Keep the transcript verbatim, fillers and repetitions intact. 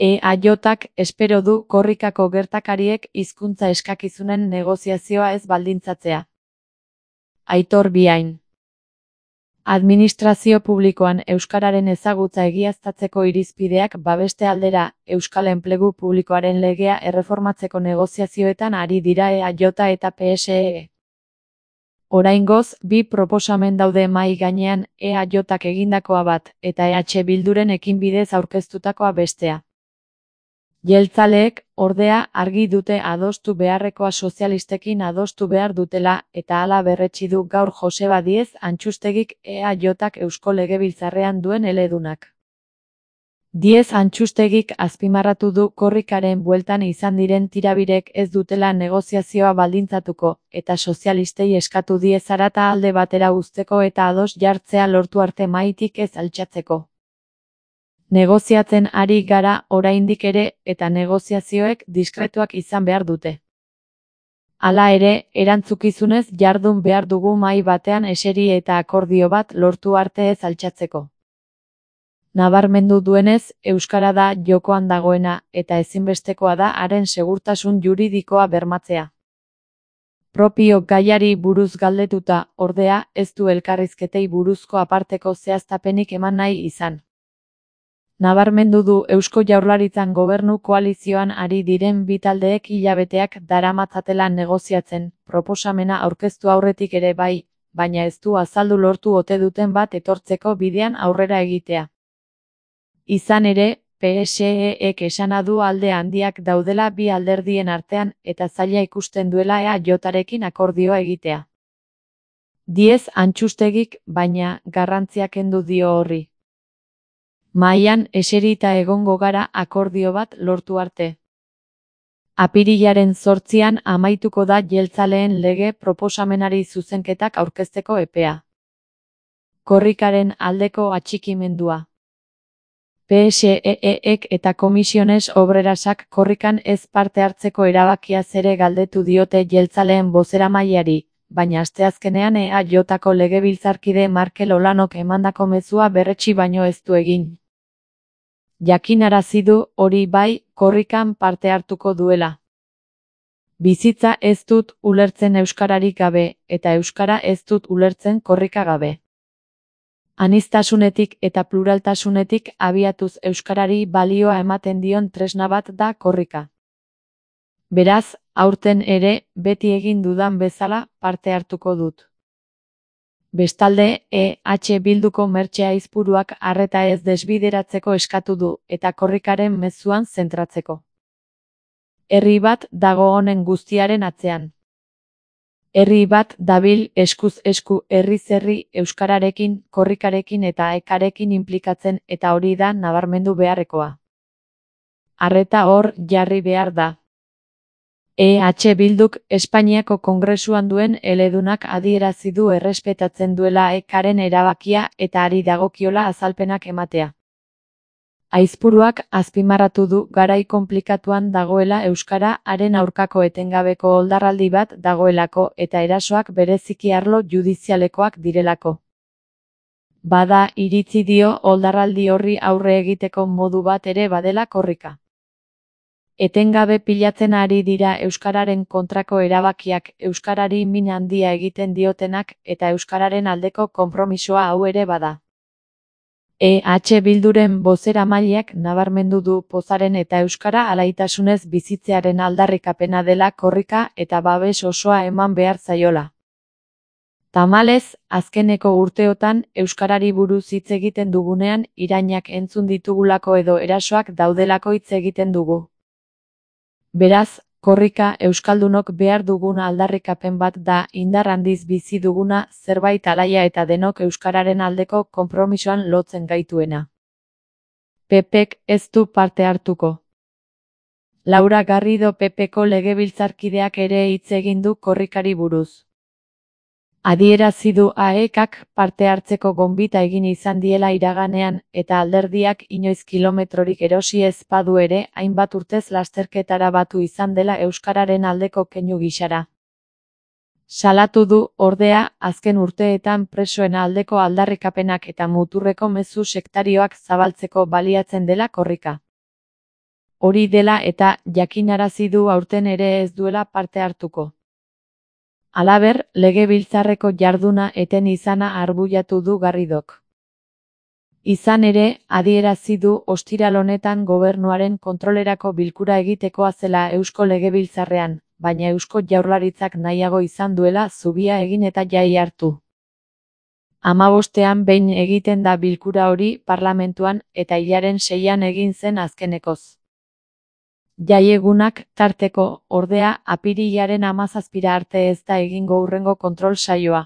E A J-ak espero du korrikako gertakariek hizkuntza eskakizunen negoziazioa ez baldintzatzea. Aitor Biain. Administrazio publikoan euskararen ezagutza egiaztatzeko irizpideak babeste aldera, euskal enplegu publikoaren legea erreformatzeko negoziazioetan ari dira E A J eta P S E. Oraingoz, bi proposamen daude mahai gainean, E A J-ak egindakoa bat, eta E H Bilduren ekinbidez aurkeztutakoa bestea. Jeltzaleek, ordea, argi dute adostu beharrekoa sozialistekin adostu behar dutela, eta hala berretsi du gaur Joseba Diez Antxustegik E A J-ak Eusko Legebiltzarrean duen eledunak. Diez Antxustegik azpimarratu du korrikaren bueltan izan diren tirabirek ez dutela negoziazioa baldintzatuko, eta sozialistei eskatu die zarata alde batera uzteko eta ados jartzea lortu arte mahaitik ez altxatzeko. Negoziatzen ari gara oraindik ere eta negoziazioek diskretuak izan behar dute. Hala ere, erantzukizunez jardun behar dugu mahai batean eseri eta akordio bat lortu arte ez altxatzeko. Nabarmendu duenez, euskara da jokoan dagoena eta ezinbestekoa da haren segurtasun juridikoa bermatzea. Propio gaiari buruz galdetuta, ordea, ez du elkarrizketei buruzko aparteko zehaztapenik eman nahi izan. Nabarmendu du Eusko Jaurlaritzan gobernu koalizioan ari diren bi taldeek hilabeteak daramatzatela negoziatzen, proposamena aurkeztu aurretik ere bai, baina ez du azaldu lortu ote duten bat etortzeko bidean aurrera egitea. Izan ere, P S E-ek esana du alde handiak daudela bi alderdien artean eta zaila ikusten duela E A J-arekin akordioa egitea. Diez Antxustegik, baina, garrantzia kendu dio horri. Mahaian eserita egongo gara akordio bat lortu arte. Apirilaren zortzian amaituko da jeltzaleen lege proposamenari zuzenketak aurkezteko epea. Korrikaren aldeko atxikimendua. P S E-ek eta Komisiones Obrerasak korrikan ez parte hartzeko erabakiaz ere galdetu diote jeltzaleen bozeramaileari, baina asteazkenean E A J-ako legebiltzarkide Markel Olanok emandako mezua berretsi baino ez du egin. Jakinarazi du, hori bai, korrikan parte hartuko duela. Bizitza ez dut ulertzen euskararik gabe, eta euskara ez dut ulertzen korrika gabe. Aniztasunetik eta pluraltasunetik abiatuz euskarari balioa ematen dion tresna bat da korrika. Beraz, aurten ere, beti egin dudan bezala, parte hartuko dut. Bestalde, E H Bilduko Mertxe Aizpuruak arreta ez desbideratzeko eskatu du, eta korrikaren mezuan zentratzeko. Herri bat dago honen guztiaren atzean. Herri bat dabil eskuz esku herriz herri euskararekin, korrikarekin eta ekarekin inplikatzen eta hori da nabarmendu beharrekoa. Arreta hor jarri behar da. E H Bilduk Espainiako Kongresuan duen eledunak adierazi du errespetatzen duela ekaren erabakia eta ari dagokiola azalpenak ematea. Aizpuruak azpimarratu du garai konplikatuan dagoela euskara haren aurkako etengabeko oldarraldi bat dagoelako eta erasoak bereziki arlo judizialekoak direlako. Bada iritzi dio oldarraldi horri aurre egiteko modu bat ere badela korrika. Etengabe pilatzen ari dira euskararen kontrako erabakiak, euskarari min handia egiten diotenak eta euskararen aldeko konpromisoa hau ere bada. E H Bilduren bozeramaileak nabarmendu du pozaren eta euskara alaitasunez bizitzearen aldarrikapena dela korrika eta babes osoa eman behar zaiola. Tamalez, azkeneko urteotan euskarari buruz hitz egiten dugunean irainak entzun ditugulako edo erasoak daudelako hitz egiten dugu. Beraz, korrika euskaldunok behar dugun aldarrikapen bat da indar handiz bizi duguna zerbait alaia eta denok euskararen aldeko konpromisoan lotzen gaituena. P Pek ez du parte hartuko. Laura Garrido P Peko legebiltzarkideak ere hitz egin du korrikari buruz. Adierazi du A E K-ak parte hartzeko gonbita egin izan diela iraganean, eta alderdiak inoiz kilometrorik erosi ez badu ere, hainbat urtez lasterketara batu izan dela euskararen aldeko keinu gisara. Salatu du, ordea, azken urteetan presoen aldeko aldarrikapenak eta muturreko mezu sektarioak zabaltzeko baliatzen dela korrika. Hori dela eta jakinarazi du aurten ere ez duela parte hartuko. Halaber, legebiltzarreko jarduna eten izana arbuiatu du Garridok. Izan ere, adierazi du ostiral honetan gobernuaren kontrolerako bilkura egitekoa zela Eusko Legebiltzarrean, baina Eusko Jaurlaritzak nahiago izan duela zubia egin eta jai hartu. Hamabostean behin egiten da bilkura hori parlamentuan eta hilaren seian egin zen azkenekoz. Jaiegunak tarteko, ordea, apirilaren hamazazpira arte ez da egingo hurrengo kontrol saioa.